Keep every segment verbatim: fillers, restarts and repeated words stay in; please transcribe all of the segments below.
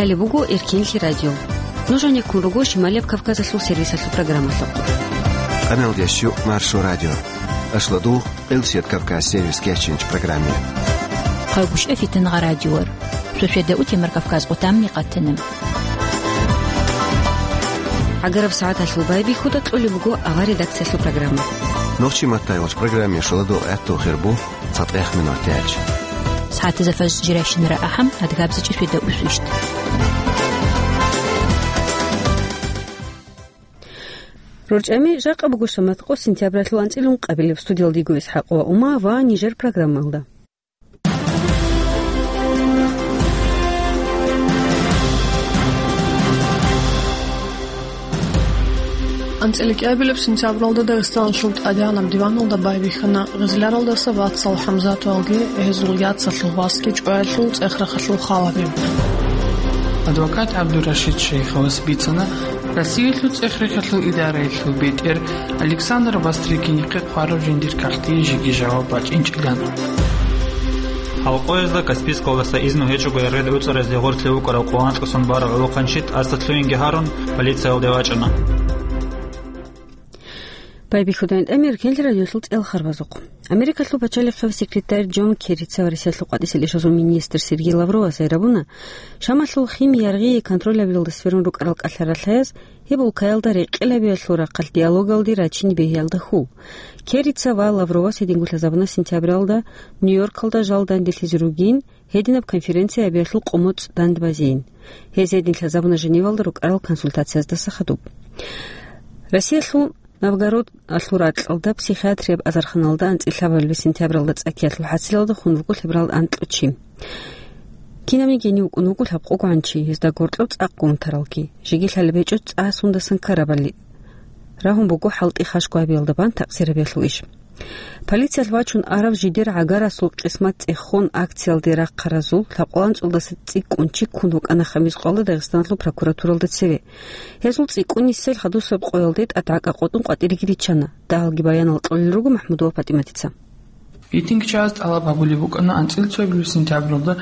Гьале буго Эркенлъи радио. Нуж гьанеккун руго Шималияб Кавказалъул сервисалъул программалъухъ. Къаналдеш щук Маршо радио. Ашлу дугъ Къилсият Кавказ сервис кечинч программе. Хъагушев Фитнагъа радиор. Суседа утемар Кавказ къутамни къатана. ГӀагараб сагӀаталъул байбихьуда кьолеб буго авар редакциялъул программа. Нохчи маттайгъоч программе шуладу гӀатту хирбу. ЦатӀех минут яч. СагӀатазда фажр жирайщинара ахӀам, адгабзичӀи светда усвищт. РорчӀами жакъа буго шамат къо сентябралъул анцӀилун къабилеб студиялдего ИсхӀакъ ва Ума ва нижер программалда. АнцӀила кӀиабилеб сентябралда Дагъистаналъул тӀадегӀанаб диваналда байбихьана Гъизляралдаса вацал ХӀамзатовалги гьезул яцалъул васги чӀваялъул цӀех-рахъалъул халаби. Адвокат ГӀабдурашид Шейховас бицана Россиялъул цӀех-рахъалъул идараялъул бетӀер Александр Бастрыкинихъе хъвараб жиндир кагътие жеги жаваб бачӀинчӀилан. Гьалкъоязда Каспийскалдаса изну гьечӀого яргъи гӀуцӀаразде гъорлъе вукӀарав къоло анкьасан барав гӀолохъанчи тӀаса лъугьинги гьарун, полициялде вачӀана. Байбихьудайин тӀамир кенлъи радиолъул цӀел харбазухъ. Америкалъул пачалихъав секретарь Джон Керрица ва Россиялъул къватӀисел ишазул министр Сергей Лавровас гьайрабуна, Шамалъул химия яргъие контроль гьабиялда сверун рукӀарал кӀалъаралъаяз гьеб улкаялда рекъелабиялъул рахъалъ диалогалде рачин бегьиялда хьул. Керрица ва Лавровас гьединго лъазабуна сентябралда Нью-Йоркалда жал данделъизе ругин, гьединаб конференция гьабиялъул къумуцӀ дандбазейин. Гьез гьедин лъазабуна Женевалда рукӀарал консультацияздаса хадуб. Россиялъул Новгородалъул ракьалда психиатрияб азарханалда анцӀила лъабабилеб сентябралда цӀакиялъул хӀасилалда хун вуго лъеберал анкьучи. Кинабниги гьенив вукӀун вуго лъабкъого гӀанчи, гьезда гъоркьоб цӀакъго унтаралги, жеги лъалеб гьечӀо цӀа сундасан ккарабали. Рагьун буго хӀалтӀи хашго гьабиялда бан такъсир гьабиялъул иш. Полициялъ вачун арав жидер гӀагарасул къисмат цӀехон акциялде рахъаразул лъабкъалда анцӀулдаса цӀикӀкӀун чи ккун вукӀана Хамис къоялда Дагъистаналъул прокуратуралда цеве. Гьезул цӀикӀкӀунисел хадусеб къоялде тӀадгӀакӀа къотӀун къватӀиреги риччана. Дагьалги баянал кьолел руго МахӀмудова ПатӀиматица. Митингчияз тӀалаб гьабулеб букӀана анцӀила цоябилеб сентябралда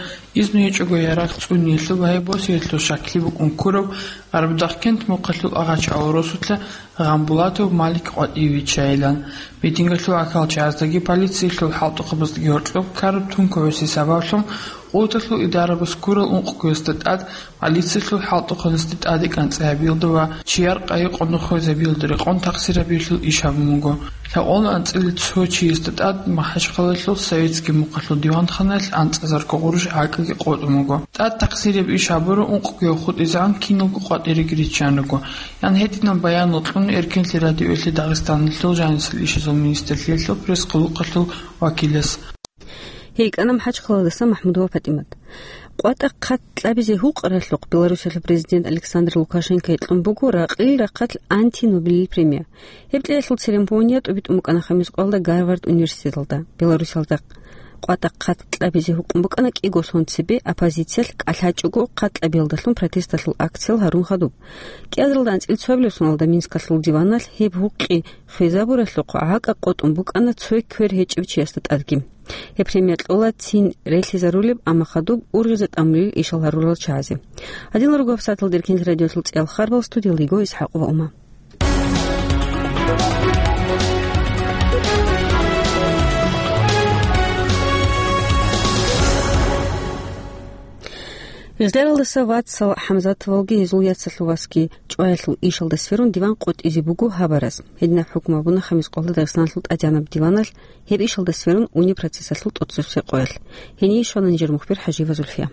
изну гьечӀого ярагъ цӀуниялъул ва гьеб босиялъул щаклъи букӀун ккурав Гъарбудахъкент мухъалъул агъачагӀул росулъа Гъамбулатов Малик къватӀиве виччайилан. Митингалъул гӀахьалчагӀаздаги полициялъул хӀалтӀухъабаздаги гьоркьоб ккараб тункугӀаси сабаблъун къуваталъул идарабаз ккурал ункъго ясда тӀад полициялъул хӀалтӀухъабазда тӀаде кӀанцӀи гьабиялда ва чияр къайи къонахизе гьабиялда рекъон такъсир гьабиялъул иш гьабун буго. Лъабкъоялда анцӀила цо чиясда тӀад МахӀачхъалаялъул Советский мухъалъул диванханаялъ анцӀазарго гъурущ гӀакӀаги къотӀун буго. ТӀад такъсирияб иш гьабураб ункъго хутӀизегӀан киналго къватӀиреги риччан руго, ян гьединаб баянал кьун Эркенлъи радиоялъе Дагъистаналъул жанисел ишазул министрлъиялъул пресс-къулухъалъул вакилас. ГьейкӀана МахӀачхъалаялдаса МахӀмудова ПатӀимат. КъватӀа хъат кьабизе гьукъаралъухъ Беларусиялъул президент Александр Лукашенко гьикьун буго ракьил рахъалъ антинобелил премия. Гьеб кьеялъул церемония тӀубитӀун букӀана Хамис къоялда Гарвард университеталда. Беларусиялда къватӀа хъат кьабизе гьукъун букӀана кӀиго сон цебе оппозициялъ кӀалъачӀого хъат кьабиялдалъун протесталъул акциял гьарун хадуб. КӀиазаралда анцӀила цоабилеб соналда Минскалъул диваналъ гьеб гьукъи хвезабуралъухъ гӀакӀа къотӀун букӀана цо квер гьечӀев чиясда тӀадги. Гьеб премия кьола цин релълъизарулеб, амма хадуб ургъизе тӀамулел ишал гьарурал чагӀазе. Гьадинал руго гьабсагӀаталда Эркенлъи радиоялъул цӀиял харбал, студиялда йиго ИсхӀакъ ва Ума. Гъизляралдаса вацал ХӀамзатовалги гьезул яцалъул васги чӀваялъул ишалда сверун диван къотӀизе буго гьабарас. Гьединаб хӀукму гьабуна Хамис къоялда Дагъистаналъул тӀадегӀанаб диваналъ гьеб ишалда сверун унеб процессалъул тӀоцебесеб къоялъ. Гьение щвана нижер мухбир ХӀажиева Зульфия.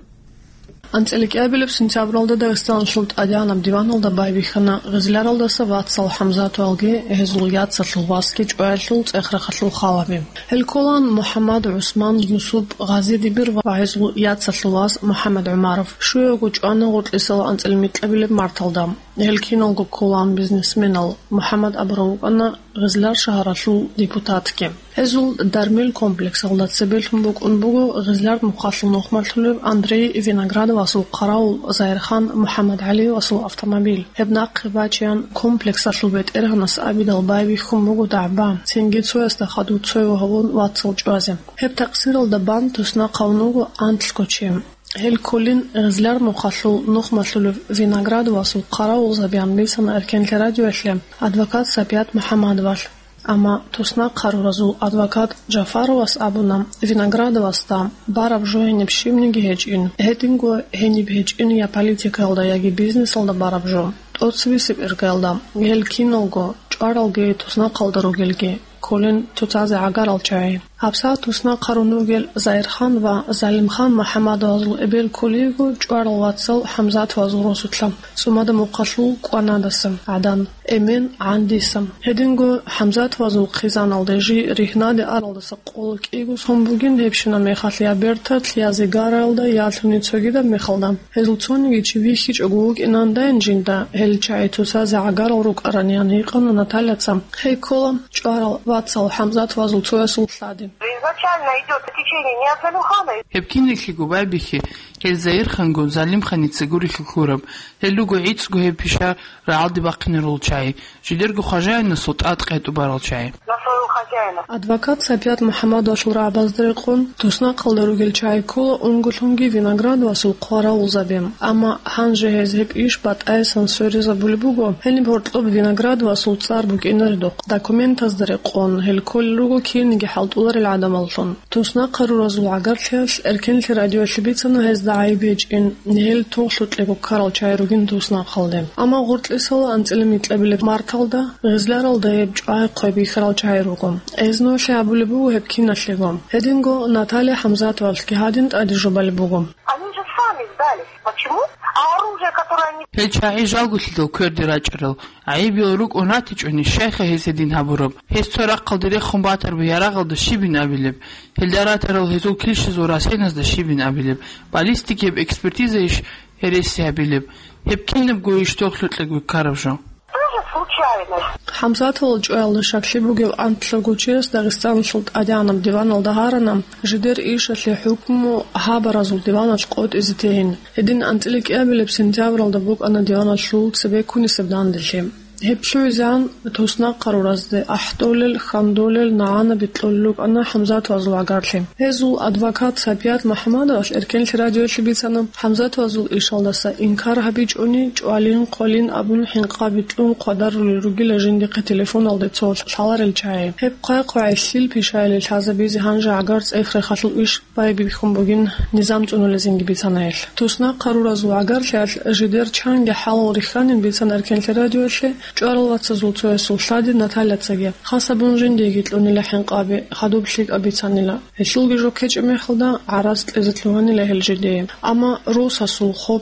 АнцӀила кӀиабилеб сентябралда Дагъистаналъул тӀадегӀанаб диваналда байбихьана Гъизляралдаса вацал ХӀамзатовалги гьезул яцалъул васги чӀваялъул цӀех-рахъалъул халаби. Гьел кколаан МухӀаммад, ГӀусман, Юсуп, Гъази-Дибир ва гьезул яцалъул вас МухӀаммад ГӀумаров. Щуяго чӀвана гъоркьисал анцӀила микьабилеб марталда. Гьел киналго кколаан бизнесменал. МухӀаммад абурав вукӀана Гъизлар шагьаралъул депутатги. Гьезул Дармил комплексалда цебелъун букӀун буго Гъизлар мухъалъул нухмалъулев Андрей Виноградовасул хъаравул Загьирхан МухӀаммадгӀалиевасул автомобиль. Гьеб нахъе бачеян комплексалъул бетӀергьанас абидал байбихьун буго дагӀба, цинги цоясда хадув цояв гьавун вацал чӀвазе. Гьеб такъсиралда бан туснахъ гьавун вуго анлъго чи. Гьел кколин Гъизлар мухъалъул нухмалъулев Виноградовасул хъаравулзабиян бицана Эркенлъи радиоялъе адвокат Сапият МухӀаммадовалъ. Амма туснахъ гьаруразул адвокат Джафаровас абуна, Виноградовасда бараб жо гьениб щибниги гьечӀин, гьединго гьениб гьечӀин я политикаялда, яги бизнесалда бараб жо, тӀоцебесеб иргаялда, гьел киналго, чӀваралги туснахъалда ругелги, кколин цоцазе гӀагарал чагӀи. ГьабсагӀат туснахъ гьарун ругел Заирхан ва Залимхан МухӀаммадовазул эбел кколиго чӀварал вацал ХӀамзатовазул росулъа, ЦӀумада мухъалъул КӀванадаса, гӀадан, эмен, гӀандиса. Гьединго ХӀамзатовазул хъизаналде жий ригьнаде аралдаса къоло кӀиго сон бугин, гьебщинаб мехалъ я берталъ, я зигараялда, ялъуни цогидаб мехалда. Гьезул цониги чи вихьичӀого вукӀинандайин жинда, гьел чагӀи цоцазе гӀагарал рукӀараниян гьикъана Натальяца. Гьей ккола чӀварал вацал ХӀамзатовазул цоясул лъади. Изначально идёт течение не от Залимхана. Гьеб кинеблъиго байбихьи, гьел Заирхангун Залимханица гурелъул лъураб, гьел руго гӀицӀго гьеб пиша рагӀалде бахъинарул чагӀи, жидерго хважаинасул тӀад къетӀубарал чагӀи. На своего хозяина. Адвокат Сапият МухӀаммадовалъул рагӀабазда рекъон, туснахъалда ругел чагӀи ккола унголъунги Виноградовасул хъваравулзаби. Амма гьанже гьез гьеб иш батӀаясан сверизабулеб буго, гьениб гьоркьоб Виноградовасул цӀар букӀинаредухъ, документазда рекъон, гьел кколел руго кирниги хӀалтӀуларел гӀадамаллъун. Туснахъ гьаруразул гӀагарлъиялъ Эркенлъи радиоялъе бицана гьезда гӀайиб гьечӀин, гьел тохлъукьего ккарал чагӀи ругин туснахъалде. Амма гъоркьисала анцӀила микьабилеб марталда, Гъизларалда гьеб чӀвай хъвай бихьарал чагӀи руго. Эзнулъи абулеб буго гьеб киналъего. Гьединго Наталья ХӀамзатовалъги гьадин тӀаде жубалеб буго. Они же сами сдались. Почему? А оружие, которое они... Гьел чагӀи жалгулъидал кверде рачӀарал, гӀайибиял рукӀун ратичӀони, щайха гьез гьедин гьабураб? Гьез цо рахъалде рехун батараб ярагъалда щибин абилеб? Гьелда ратарал гьезул килщазул расеназда щибин абилеб? Баллистикияб экспертизайищ гьереси гьабилеб? Гьеб кинабго иш тохлъукьего ккараб жо. Тоже случайность. ХӀамзатовал чӀваялда щаклъи бугев анлъго чияс Дагъистаналъул тӀадегӀанаб диваналда гьарана, жидер ишалъе хӀукму гьабаразул диваналъ къотӀизе тейин. Гьедин анцӀила кӀиабилеб сентябралда букӀана диваналъул цебе ккунисеб данделъи. Гьеб лъугӀизегӀан туснахъ гьаруразде ахӀдолел, хьандолел, нагӀана бикьулел рукӀана ХӀамзатовазул гӀагарлъи. Гьезул адвокат Сапият МухӀаммадовалъ Эркенлъи радиоялъе бицана, ХӀамзатовазул ишалдаса инкар гьабичӀони, чӀвалин, хъвалин абун хӀинкъаби кьун хъвадарулел ругила жиндихъе телефоналде цо лъаларел чагӀи. Гьеб хъвай-хъвай лъил пишаялде лъазабизе гьанже гӀагар цӀех-рехалъул иш байбихьун бугин низам цӀунулезинги бицана гьелъ. Туснахъ гьаруразул гӀагарлъиялъ жидер чанги хӀалал рихьанин бицана Эркенлъи радиоялъе чӀварал вацазул цоясул лъади Натальяцаги. Хас абун жиндиеги кьунила хӀинкъаби, хадуб лъикӀаб бицанила. Гьелъулги жо ккечӀеб мехалда гӀарац кьезе лъугьанила гьел жидее. Амма росасул хоб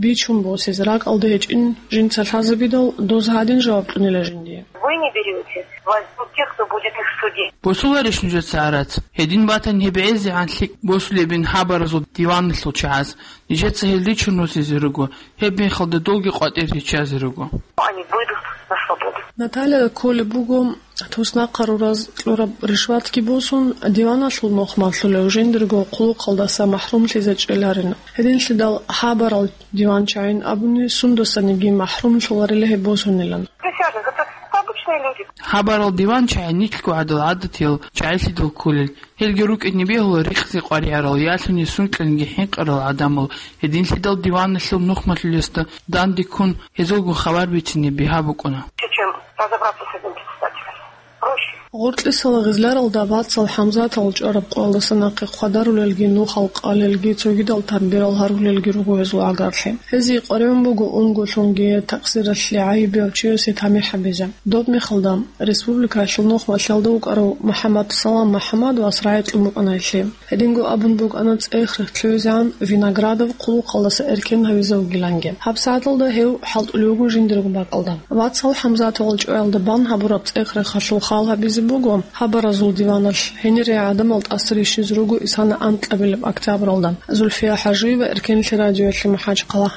бичун босизе ракӀалда гьечӀин жинца лъазабидал, доз гьадин жаваб кьунила жиндие. Вы не берёте, возьмут тех, кто будет их судить. Босуларищ нужеца гӀарац? Гьедин батани гьеб гӀезегӀан лъикӀ босулебин хабаразул диваналъул чагӀаз. Нижеца гьел ричун росизе руго, гьеб мехалда долги къватӀир риччазе руго. Они выйдут на свободу. Наталья кколеб буго, туснахъ гьарураз кьураб ришватги босун, диваналъул нухмалъулев жиндирго хъулухъалдаса махӀрумлъизе чӀеларин. Гьединлъидал хабарал диван чагӀин абуни сундасаниги махӀрумлъуларила гьеб босунилан. Присяжных, это обычные люди. Хабарал диван чагӀи нилъго гӀадал гӀадатиял чагӀилъидал кколел. Гьелги рукӀине бегьула рикъзи къваригӀарал, ялъуни сункьинги хӀинкъарал гӀадамал, гьединлъидал диваналъул нухмалъулесда данде ккун, гьезулгун хабар бицине бигьа букӀуна. Чем разобраться с этим председателем. Проще. Гъоркьисала гъизларалда вацал ХӀамзатал чӀвараб къоялдаса нахъе хъвадарулелги, нухал къалелги, цогидал тамбирал гьарулелги руго гьезул гӀагарлъи. Гьезие къваригӀун буго унголъунги такъсиралъе гӀайибияв чиясе тамихӀ гьабизе. Доб мехалда, республикаялъул нухмалъиялда вукӀарав МухӀаммад Салам МухӀаммадовас рагӀи кьун букӀана гьелъие. Гьединго абун букӀана цӀех-рех лъугӀизегӀан Виноградов хъулухъалдаса эркен гьавизе вугиланги. ГьабсагӀаталда гьев хӀалтӀулев вуго жиндирго бакӀалда. Вацал ХӀамзатовал чӀваялда бан гьабураб цӀех-рехалъул хал гьабизе буго хабаразул диваналъ. Гьенире гӀадамал тӀаса рищизе руго исана анкьабилеб октябралда. Зульфия ХӀажиева, Эркенлъи радиоялъе, МахӀачхъала.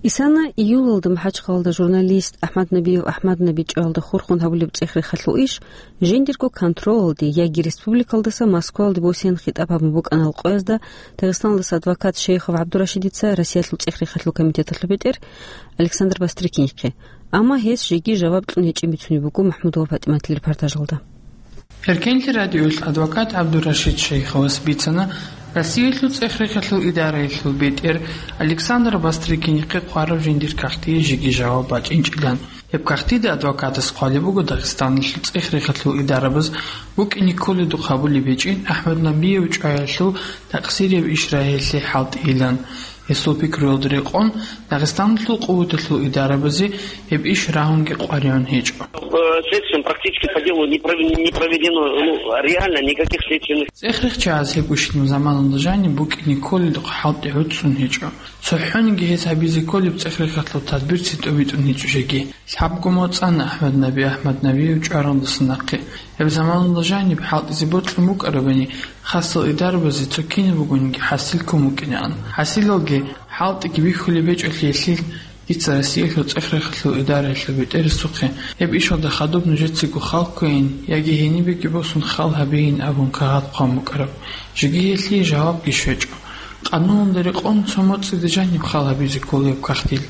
Исана июлалда МахӀачхъалалда журналист АхӀмад Набиев АхӀмад Наби чӀваялда хурхун гьабулеб цӀех-рехалъул иш жиндирго контролалде яги республикалдаса Москвалде босизе хитӀаб гьабун букӀана къоязда Дагъистаналдаса адвокат Шейхов ГӀабдурашидица Россиялъул цӀех-рехалъул комитеталъул бетӀер Александр Бастрыкинихъе. Амма гьес жеги жаваб кьун гьечӀин бицунеб буго МахӀмудова ПатӀиматил репортажалда. Эркенлъи радиоялъ адвокат ГӀабдурашид Шейховас бицана, Россиялъул цӀех-рехалъул идараялъул бетӀер Александр Бастрыкинихъе хъвараб жиндир кагътие жеги жаваб бачӀинчӀилан. Гьеб кагътида адвокатас хъвалеб буго Дагъистаналъул цӀех-рехалъул идарабаз букӀине кколедухъ гьабулеб гьечӀин АхӀмад Набиев чӀваялъул такъсирияб иш рагьиялъе хӀалтӀийилан. Гьесул пикруялда рекъон, Дагъистаналъул къуваталъул идарабазе гьеб иш рагьунги къваригӀун гьечӀо. Э, следствием практически по делу не пров-, не проведено, ну, реально никаких следственных. ЦӀех-рехчагӀаз гьебгощинаб заманалда жаниб букӀине кколелдухъ хӀалтӀи гӀуцӀцӀун гьечӀо. ЦохӀониги гьез гьабизе кколеб цӀех-рехалъул тадбирцин тӀобитӀун гьечӀо жеги. Лъабго моцӀана АхӀмад Наби АхӀмад Набиев чӀваралдаса нахъе. Гьеб заманалда жаниб хӀалтӀизе бокьун букӀарабани, хасал идарабазе цо кинаб бугониги хӀасил ккун букӀинаан. ХӀасилалги, хӀалтӀиги бихьулеб гьечӀолъиялъул дица Россиялъул цӀех-рехалъул идараялъул бетӀерасухъе гьеб ишалда хадуб нужецаго хал кквейин яги гьенибеги босун хал гьабейин абун кагъат хъван букӀараб. Жеги гьелъие жавабги щвечӀо. Къануналда рекъон цо моцӀида жаниб хал гьабизе кколеб кагътил.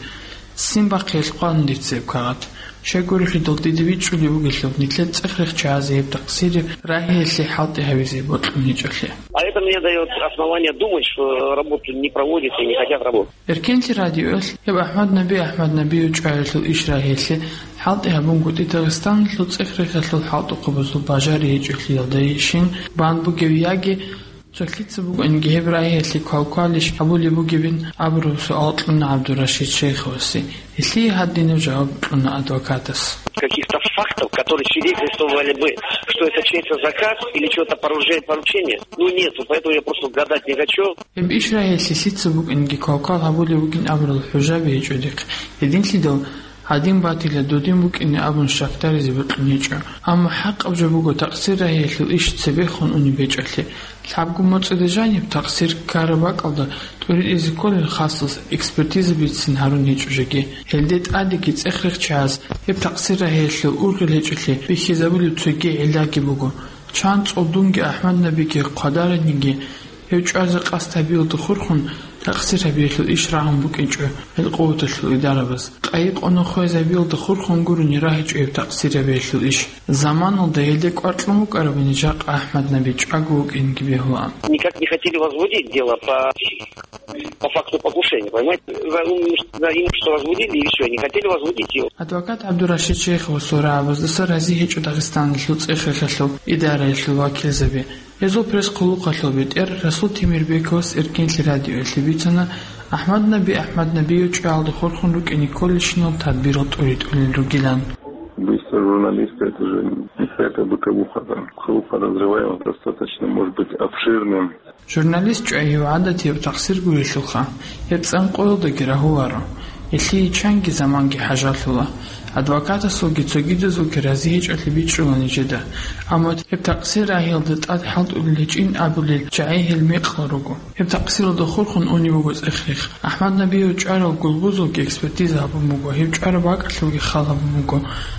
Ццин бахъиялъ хъван дица гьеб кагъат. Щайгурелъул дида бичӀчӀулеб бугелъул, нилъер цӀех-рехчагӀазе гьеб такъсирияб рагьиялъе хӀалтӀи гьабизе бокьун гьечӀолъи. А это мне даёт основание думать, что работу не проводят и не хотят работать. Эркенлъи радиоялъ гьеб АхӀмад Наби АхӀмад Набиев чӀваялъул иш рагьиялъе хӀалтӀи гьабунгутӀи Дагъистаналъул цӀех-рехалъул хӀалтӀухъабазул бажари гьечӀолъиялдайищин бан бугев яги цо лъица бугониги гьеб рагьиялъе квалквалищ гьабулеб бугебин абураб суал кьуна ГӀабдурашид Шейховасе. Гьелъие гьадинаб жаваб кьуна адвокатас. Каких-то фактов, которые свидетельствовали бы, что это чей-то заказ или чьё-то поруже-, поручение, ну, нету, поэтому я просто гадать не хочу. Гьеб иш рагьиялъе лъица букӀинги квалквал гьабулеб бугин абурал хӀужаби гьечӀо дихъ. Гьединлъидал гьадин батила, додин букӀине абун щакдаризе бокьун гьечӀо. Амма хӀакъаб жо буго такъсир рагьиялъул иш цебехун унеб гьечӀолъи. Лъабго моцӀида жаниб такъсир ккараб бакӀалда тӀуритӀизе кколел хасас экспертиза бицин гьарун гьечӀо жеги. Гьелде тӀадеги цӀех-рехчагӀаз гьеб такъсир рагьиялъул ургъел гьечӀолъи бихьизабулеб цоги гӀиллаги буго. Чан цӀолдунги АхӀмад Набиги хъвадараниги, гьев чӀвазе къасд гьабиялда хурхун, такъсир гьабиялъул иш рагьун букӀинчӀо гьел къуваталъул идарабаз. Къайи-къона хвезабиялда хурхун гурони рагьичӀо гьеб такъсир гьабиялъул иш. Заманалда гьелде кӀвар кьун букӀарабани, жакъа АхӀмад Наби чӀваго вукӀинги бегьулаан. Никак не хотели возбудить дело по, по факту покушения, понимаете? За, ну, за имущество возбудили и всё, не хотели возбудить его. Адвокат ГӀабдурашид Шейхов сурагӀабаздаса рази гьечӀо Дагъистаналъул цӀех-рехалъул идараялъул вакилзаби. Гьезул пресс-хъулухъалъул бетӀер Расул Темирбековас Эркенлъи радиоялъе бицана АхӀмад Наби АхӀмад Набиев чӀваялда хурхун рукӀине кколелщинал тадбирал тӀуритӀулел ругилан. Убийство журналиста — это же не какая-то бытовуха, да. Круг подозреваемых достаточно, может быть, обширным. Журналист чӀвай гьев гӀадатияб такъсир гурелъулха, гьеб цӀанкъоялдаги рагьуларо. Гьелъие чанги заманги хӀажалъула. Адвокатасулги цогидазулги рази гьечӀолъи бичӀчӀула нижеда. Амма гьеб такъсир рагьиялда тӀад хӀалтӀулел гьечӀин абулел чагӀи гьел мекъал руго. Гьеб такъсиралда хурхун унеб буго цӀех-рех. АхӀмад Набиев чӀварал гулбузулги экспертиза гьабун буго, гьев чӀвараб бакӀалъулги хал гьабун буго,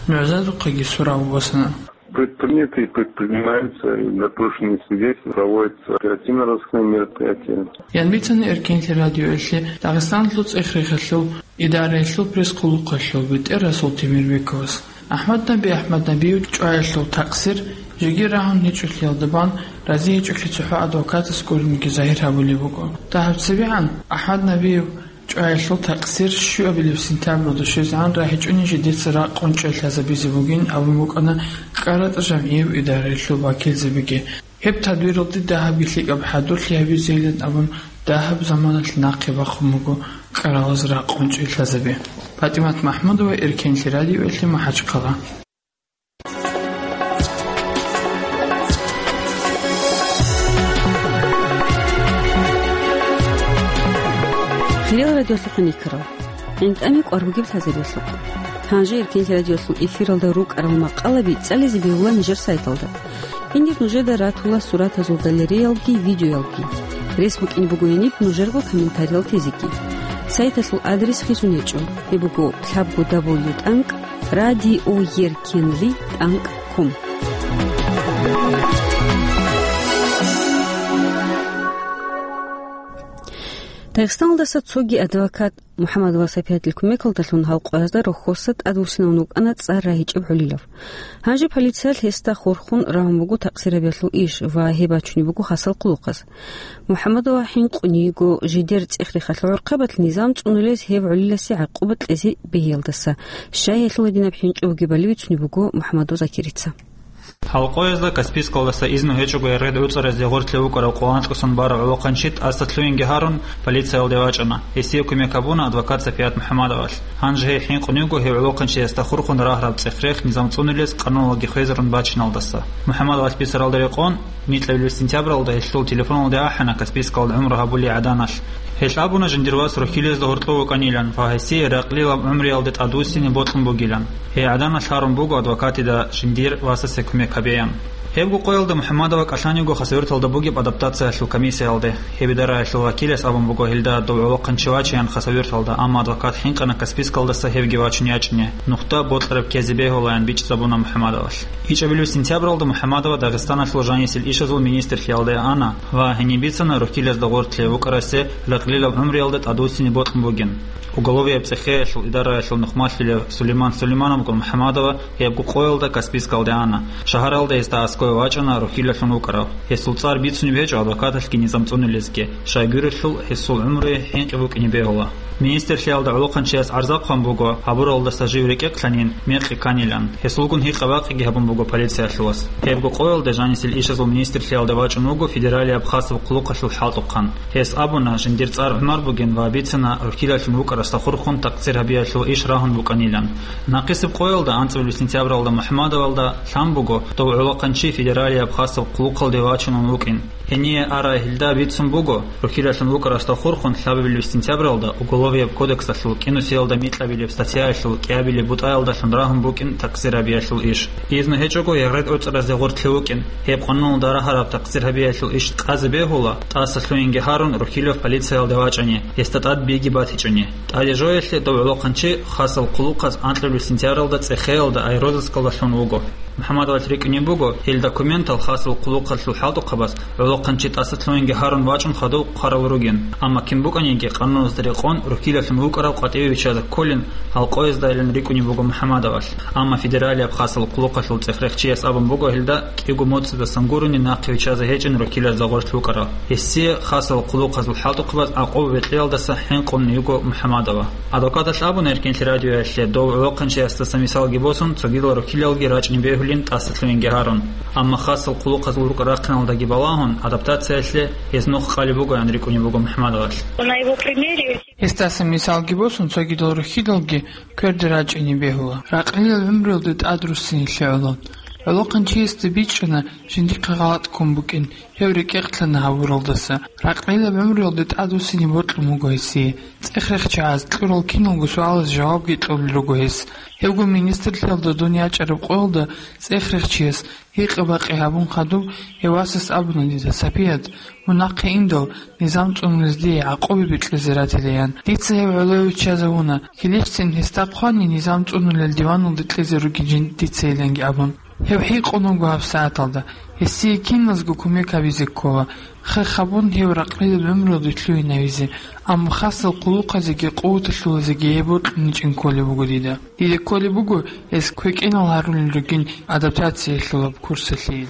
нугӀзазухъеги сураб босана. Предприняты и предпринимаются, и допрошенные свидетели, проводятся оперативно-розыскные мероприятия. Ян бицана Эркенлъи радиоялъе Дагъистаналъул цӀех-рехалъул идараялъул пресс-хъулухъалъул бетӀер Расул Темирбековас. АхӀмад Наби АхӀмад Набиев чӀваялъул такъсир жеги рагьун гьечӀолъиялда бан рази гьечӀолъи цохӀо адвокатас гурониги загьир гьабулеб буго. Дагьаб цебегӀан АхӀмад Набиев чӀваялъул такъсир щуабилеб сентябралда щвезегӀан рагьичӀони жидеца ракъун чӀей лъазабизе бугин абун букӀана КӀаратӀа жамгӀияб идараялъул вакилзабиги. Гьеб тадбиралде дагьабги лъикӀаб хӀадурлъи гьабизейилан абун дагьаб заманалъ нахъе бахун буго кӀкӀаралаз ракъун чӀей лъазаби. ПатӀимат МахӀмудова, Эркенлъи радиоялъе, МахӀачхъала. Хириял радиолъухъ никарал, ГӀинтӀаме кӀвар бугеб лъазарелъухъ. Гьанже Эркенлъи радиолъул эфиралда рукӀарал макъалаби цӀализе бегьула нижер сайталда. Гьенир нужеда ратула суратазул галереялги видеоялги. Рес букӀин буго гьениб нужерго комментариял тезеги. Сайталъул адрес хисун гьечӀо. Гьеб буго лъабго дабл ю тӀанкӀ радиоеркенлъи тӀанкӀ ком. Дагъистаналдаса цоги адвокат МухӀаммадова Сапиятил кумекалдалъун гьал къоязда рохьоса тӀадвуссинавун вукӀана цӀар рагьичӀеб гӀолилав. Гьанже полициялъ гьесда хурхун рагьун буго такъсирабиялъул иш ва гьеб бачунеб буго хасал хъулухъаз. МухӀаммадова хӀинкъун йиго жидер цӀех-рехалъул гӀорхъабалъ низам цӀунулез гьев гӀолиласе гӀакъуба кьезе бегьиялдаса. Щай гьелъул гьединаб хӀинкъи бугебали бицунеб буго МухӀаммадов Закирица. Гьал къоязда Каспийскалдаса изну гьечӀого яргъид гӀуцӀаразде гъорлъе вукӀарав къоло анкьасан барав гӀолохъанчи тӀаса лъугьинги гьарун, полициялде вачӀана. Гьесие кумек гьабуна адвокат Сапият МухӀаммадовалъ. Гьанже гьей хӀинкъун йиго гьев гӀолохъанчиясда хурхун рагьараб цӀех-рех низам цӀунулез къануналги хвезарун бачиналдаса. МухӀаммадовалъ бицаралда рекъон, микьабилеб сентябралда гьелъул телефоналде ахӀана Каспийскалда гӀумру гьабулей гӀаданалъ. Гьелъ абуна жиндир вас рухьилезда гьоркьов вукӀанилан ва гьесие ракълилаб гӀумруялде тӀадвуссине бокьун бугилан. Гьей гӀаданалъ гьарун буго адвокатида жиндир васасе кумек гьабеян. Гьебго къоялда МухӀаммадова кӀалъан йиго Хасавюрталда бугеб адаптациялъул комиссиялде. Гьеб идараялъул вакилас абун буго гьелда дов гӀолохъанчи вачеян Хасавюрталда, амма адвокат хӀинкъана Каспийскалдаса гьевги вачун ячӀине, нухда бокьараб ккезе бегьулаян бичӀчӀизабуна МухӀаммадовалъ. ИчӀабилеб сентябралда МухӀаммадова Дагъистаналъул жанисел ишазул министрлъиялде ана ва гьениб бицана рухьилезда гъорлъе вукӀарасе ракълилаб гӀумруялда тӀадвуссине бокьун бугин. Уголовияб цӀехеялъул идараялъул нухмалъулев Сулейман Сулеймановгун МухӀаммадова гьебго къоялда Каспийскалде ана. Шагьаралда гьесда аскӀове вачӀана рухьилалъун вукӀарав. Гьесул цӀар бицунеб гьечӀо адвокаталъги низам цӀунулезги, щайгурелъул гьесул гӀумруе хӀинкъи букӀине бегьула. Министрлъиялда гӀолохъанчияс гӀарза хъван буго, гьабуралдаса жив рекӀекълъанин мекъи кканилан. Гьесулгун гьикъа-бакъиги гьабун буго полициялъулас. Гьебго къоялда жанисел ишазул министрлъиялда вачӀун вуго федералияб хасаб хъулухъалъул хӀалтӀухъан. Гьес абуна, жиндир цӀар ГӀумар бугин ва бицана рухьилалъун вукӀарасда хурхун такъсир гьабиялъул иш рагьун букӀанилан. Нахъисеб къоялда анцӀабилеб сентябралда МухӀаммадовалда лъан буго дов гӀолохъанчи федералияб хасаб хъулухъалде вачунун вукӀин. Гьение арай гьелда бицун буго, рухьилалъун вукӀарасда хурхун лъабабилеб сентябралда Уголовияб кодексалъул кӀинусиялда микьабилеб статьяялъул кӀиабилеб бутӀаялдалъун рагьун букӀин такъсир гьабиялъул иш. Изну гьечӀого яргъид гӀуцӀаразде гъорлъе вукӀин, гьеб къануналда рагьараб такъсир гьабиялъул иш къазе бегьула, тӀаса лъугьинги гьарун рухьилав полициялде вачӀани, гьесда тӀад биги батичӀони. ТӀаде жоялъе дов гӀолохъанчи хасал хъулухъаз анкьабилеб сентябралда цӀехеялда аэрозаскалда лъун вуго. МухӀаммадовалъ рикӀкӀунеб буго, гьел документал хасал хъулухъалъул хӀалтӀухъабаз гӀолохъанчи тӀаса лъугьинги гьарун вачӀун хадув хъварал ругин, амма кин букӀаниги къануналда рекъон рухьилалъун вукӀарав къватӀиве виччазе кколин гьал къояздайилан рикӀкӀунеб буго МухӀаммадовалъ. Амма федералияб хасал хъулухъалъул цӀехрехчияс абун буго гьелда кӀиго моцӀидасан гурони нахъе виччазе гьечӀин рухьилазда гъорлъ вукӀарав. Гьесие хасал хъулухъазул хӀалтӀухъабаз гӀакъуба бекьиялдаса хӀинкъун йиго МухӀаммадова. Адвокаталъ абуна Эркин лъерадиоялъе дов гӀолохъанчиясдаса мисалги босун, цогидал рухьилалги рачӀни бегьулин тӀаса лъугьинги гьарун. Амма хасал хъулухъазул рукӀа-рахъиналдаги балагьун, адаптациялъе гьез нух къалеб бугоян рикӀкӀунеб буго МухӀаммадовалъ. На его примере Гьесдаса мисалги босун, цогидал рухьидалги кверде рачӀине бегьула. Ракълилал гӀумруялде тӀадруссинелъе гӀоло. ГӀолохъанчиясда бичӀчӀана жиндихъе гъалатӀ ккун букӀин, гьев рекӀекълъана гьабуралдаса. Ракълилаб гӀумруялде тӀадвуссине бокьун буго гьесие. ЦӀехрехчагӀаз кьурал киналго суалаз жавабги кьолел руго гьес. Гьевго министрлъиялда дун ячӀараб къоялда цӀехрехчияс гьикъа-бакъи гьабун хадуб, гьев васас абуна дида: «Сапият, мун нахъе индал, низам цӀунулез дие гӀакъуба бекьизе ратила», — ян. Дица гьев гӀоло виччазавуна, килищцин гьесда хъвани, низам цӀунулел диваналде кьезе ругин жиндица иланги абун. Гьев хӀинкъун вуго гьабсагӀаталда. Гьесие киназго кумек гьабизе ккола. Хех гьабун гьев ракълилаб гӀумруялде лъугьинавизе, амма хасал хъулухъазеги къуваталъулазеги гьеб бокьуничӀин кколеб буго дида. Дида кколеб буго, гьес квекӀинал гьарулел ругин адаптациялъулаб курсалъе.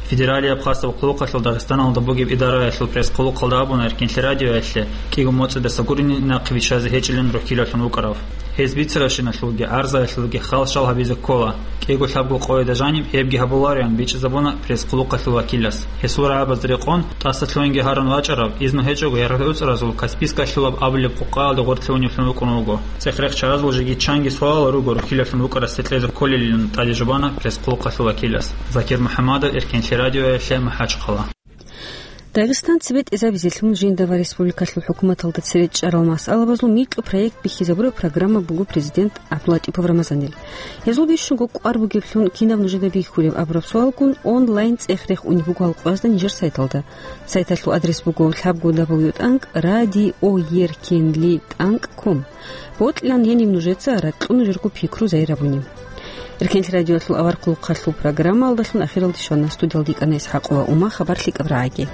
Федералияб хасаб хъулухъалъул Дагъистаналда бугеб идараялъул пресс-хъулухъалда абуна Эркин лъерадиоялъе, кӀиго моцӀидаса гурони нахъе виччазе гьечӀилан рухьилалъун вукӀарав. Гьез бицарабщиналъулги гӀарзаялъулги хал-шал гьабизе ккола. КӀиго-лъабго къояда жаниб гьебги гьабулароян бичӀчӀизабуна пресс-хъулухъалъул вакилас. Гьесул рагӀабазда рекъон, тӀаса лъугьинги гьарун вачӀарав, изну гьечӀого яргъи уцӀразул Каспийскалъулаб абулеб къокъаялда гъорлъе уневлъун вукӀун вуго. ЦӀехрехчагӀазул жеги чанги суалал руго рухьилалъун вукӀарасе кьезе кколелилан тӀаде жубана пресс-хъулухъалъул вакилас. Закир МухӀаммадов, Эркин лъерадиоялъе, МахӀачхъала. Дагъистан цебетӀезабизелъун жинда ва республикалъул хӀукуматалда цере чӀарал масъалабазул микьу проект бихьизабураб программа буго президент ГӀабдуллатӀипов Рамазанил. Гьезул бищунго кӀвар бугеблъун кинаб нужеда бихьулеб абураб суалгун онлайн цӀех-рех унеб буго гьал къоязда нижер сайталда. Сайталъул адрес буго лъабго дабл ю тӀанкӀ радиоеркинли тӀанкӀ ком. Бокьилан гьениб нужеца ракьун журго пикру зайрабуни. Эркенлъи радиоялъул авар хъулухъалъул программаялдалъун ахиралде щвана. Студиялда йикӀана ИсхӀакъова Ума. Хабар лъикӀаб рагӀаги.